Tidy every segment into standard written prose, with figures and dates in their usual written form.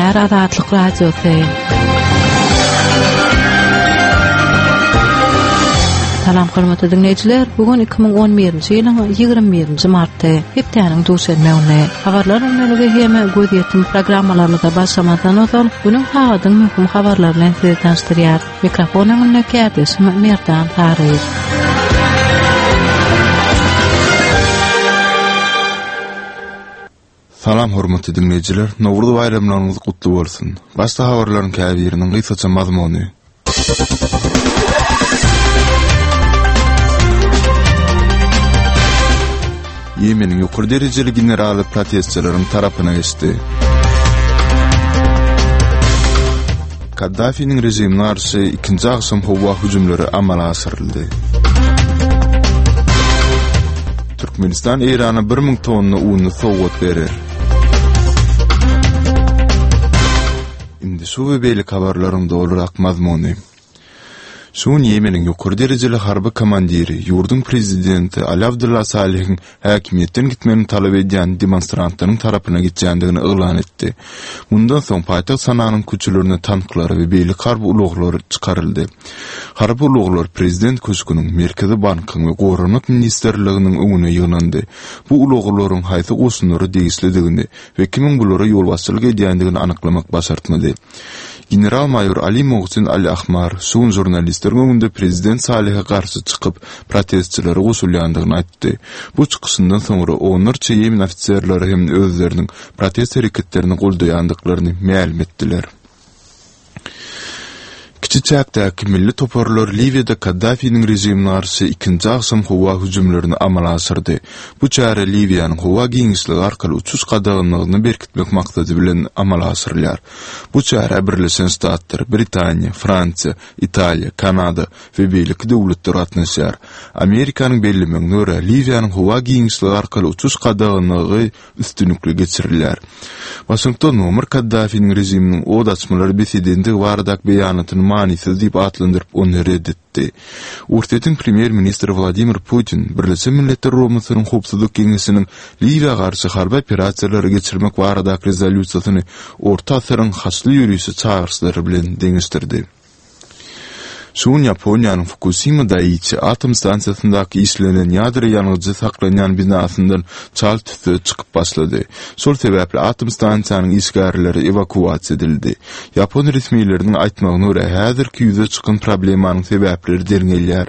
Gepleýär Azatlyk Radiosy. Salam hormatly diňleýjiler, bu gün 2011-nji ýylyň 21-nji marty, hepdäniň duşenbe güni. Habarlar öňdeligi hem gözýetim programmalarymyza başlamazdan ozal, günüň sagadyň möhüm habarlary bilen sizi tanyşdyrýarys. Mikrofon öňünde kärdeşim Merdan Saryýew. Salam hormatly diňleýjiler, Nowruz baýramlaryňyz gutly bolsun! Başda habarlaryň käbiriniň gysgaça mazmuny. Ýemeniň ýokary derejeli generaly protestçileriň tarapyna geçdi. Kaddafiniň režimine garşy ikinji agşam howa hüjümleri amala aşyryldy. Türkmenistan Eýrana 1000 tonna uny sowgat berer. Indi şu we beýleki habarlaryň dolurak mazmuny. Şu gün Ýemeniň ýokary derejeli harby komandiri, ýurduň prezidenti Ali Abdulla Salihiň häkimiýetden gitmegini talap edýän demonstrantlaryň tarapyna geçýändigini yglan etdi. Mundan soň paýtagt Sananyň köçelerine tanklar we beýleki harby ulaglar çykaryldy. Harby ulaglar prezident köşgüniň, Merkezi bankyň we Goranmak ministrliginiň öňüne ýygnandy. Bu ulaglaryň haýsy goşunlara degişlidigini we kimiň bulara ýolbaşçylyk edýändigini anyklamak başartmady. General-maýor Ali Mohsin Al-Ahmar şu gün žurnalistleriň öňünde prezident Salihe garşy çykyp, protestçilere goşulýandygyny aýtdy. Bu çykyşyndan soňra onlarça ýemen ofiserleri hem özleriniň protest hereketlerini goldaýandyklaryny mälim etdiler. Kiçi çäkdäki milli toparlar Liwiýada Kaddafiniň režimine garşy ikinji agşam howa hüjümlerini amala aşyrdy. Bu çäre Liwiýanyň howa giňişligi arkaly uçuş gadaganlygyny berkitmek maksady bilen amala aşyrylýar. Bu çärä Birleşen Ştatlar, Britaniýa, Fransiýa, Italiýa, Kanada we beýleki döwletler gatnaşýar. Amerikanyň bellemegine görä, Liwiýanyň howa giňişligi arkaly uçuş gadaganlygy üstünlikli geçirilýär. Waşington Muammar Kaddafiniň režiminiň ot açmalary bes edendigi baradaky beýanatyny manysyz diýip atlandyryp, ony ret etdi. Orsýetiň premýer-ministri Wladimir Putin Birleşen Milletler Guramasynyň Howpsuzlyk Geňeşiniň Liwiýa garşy harby operasiýalary geçirmek baradaky rezolýusiýasyny orta asyryň haçly ýörişi çagyryşlary bilen deňeşdirdi. Şu gün Ýaponiýanyň Fukusima Daiçi atom stansiýasyndaky işlenen ýadro ýangyjy saklanýan binasyndan çal tüsse çykyp başlady. Şol sebäpli atom stansiýanyň işgärleri ewakuasiýa edildi. Ýapon resmileriniň aýtmagyna görä, häzirki ýüze çykan problemanyň sebäpleri derňelýär.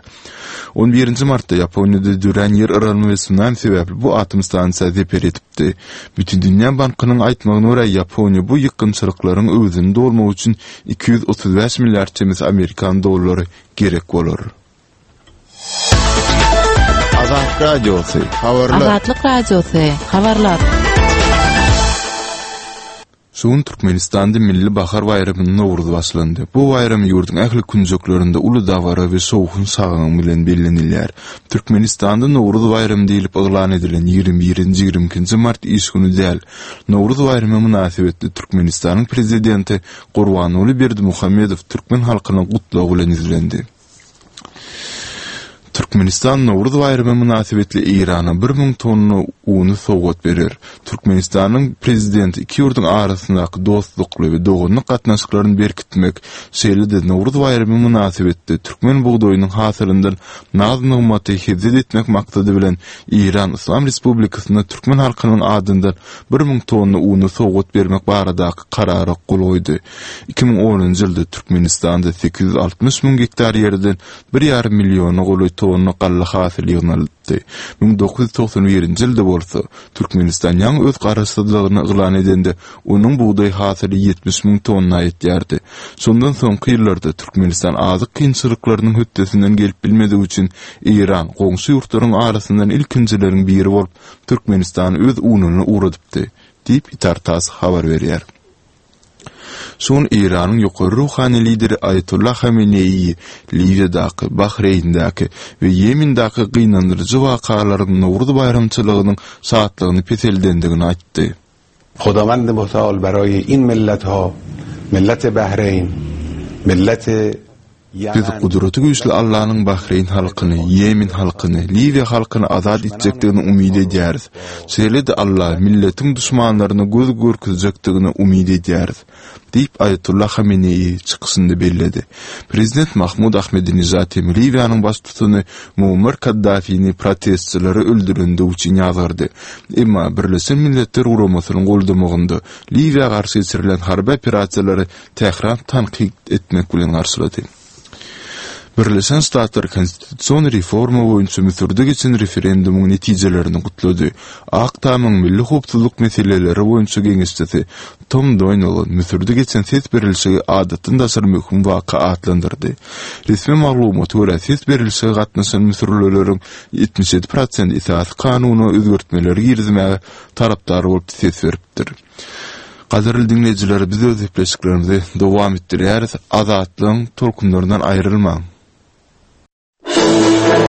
On birinji martda Ýaponiýada dörän ýer yranma we sunami sebäpli bu atom stansiýa zeper ýetipdi. Bütindünýä bankynyň aýtmagyna görä, Ýaponiýa bu ýykgynçylyklaryň öwezini dolmak üçin 235 milliard çemesi amerikan dollary gerek bolar. Azatlyk Radiosy, habarlar. Azatlyk Radiosy, habarlar. Şu gün Türkmenistanda Milli bahar baýramy Nowruz başlandy. Bu baýram ýurduň ähli künjeklerinde uly dabara we şowhun-şagalaň bilen bellenilýär. Türkmenistanda Nowruz baýramy diýlip yglan edilen 21-nji, 22-nji mart iş güni däl. Nowruz baýramy mynasybetli Türkmenistanyň Prezidenti Gurbanguly Berdimuhamedow türkmen halkyna gutlag bilen ýüzlendi. Türkmenistan Nowruz baýramy mynasybetli Eýrana 1000 tonna uny sowgat berer. Türkmenistanyň Prezidenti iki ýurduň arasyndaky dostlukly we doganlyk gatnaşyklaryny berkitmek, şeýle-de Nowruz baýramy mynasybetli türkmen bugdaýynyň hasylyndan naz-nygmaty hezzet etmek maksady bilen Eýran Yslam Respublikasyna türkmen halkynyň adyndan 1000 tonna uny sowgat bermek baradaky karara gol goýdy. 2010-njy ýylda Türkmenistanda 860 müň gektar ýerden bir ýarym milliona golaý tonna galla hasyly ýygnalypdy. 1991-nji ýylda bolsa, Türkmenistan ýaňy öz garaşsyzlygyny yglan edende, onuň bugdaý hasyly 70 müň tonna ýetýärdi. Şondan soňky ýyllarda Türkmenistan azyk kynçylyklarynyň hötdesinden gelip bilmedigi üçin Eýran goňşy ýurtlaryň arasyndan ilkinjileriň biri bolup Türkmenistana öz ununy ugradypdy, diýip, Itar-tass habar berýär. Şu gün Eýranyň ýokary ruhany lideri Aýatolla Hameneýi Liwiýadaky, Bahreýndäki we Ýemendäki gynandyryjy wakalaryň Nowruz baýramçylygynyň şatlygyny peseldendigini aýtdy. Hodawand muteal baraye in milletha, millet Bahreýn, millet. Biz Gudraty güýçli Allanyň Bahreýn halkyny, Ýemen halkyny, Liwiýa halkyny azat etjekdigini umyt edýäris. Şeýle-de Alla milletiň duşmanlaryna göz görkezjekdigine umyt edýäris. Diýip, Aýatullah Hameneýi çykyşynda belledi. Prezident Mahmud Ahmedinejad hem Liwiýanyň baştutany Muammar Kaddafini protestçileri öldürendigi üçin ýazgardy. Emma Birleşen Milletler Guramasynyň goldamagynda Liwiýa garşy geçirilen harby operasiýalary Tähran tankyt etmek bilen garşylady. Birleşen Ştatlar konstitusion reforma boýunça Müsürde geçen referendumyň netijelerini gutlady. Ak Tamyň milli howpsuzlyk meseleleri boýunça geňeşçisi Tom Doýnelon Müsürde geçen ses berilişigi adatdan daşary möhüm waka atlandyrdy. Resmi maglumata görä, ses berilişige gatnaşan müsürlileriň 77 prosenti esasy kanuna özgertmeleri girizmäge tarapdar bolup ses beripdir. Gadyrly diňleýjiler, biz öz gepleşiklerimizi dowam etdirýäris. Azatlygyň tolkunlaryndan aýrylmaň!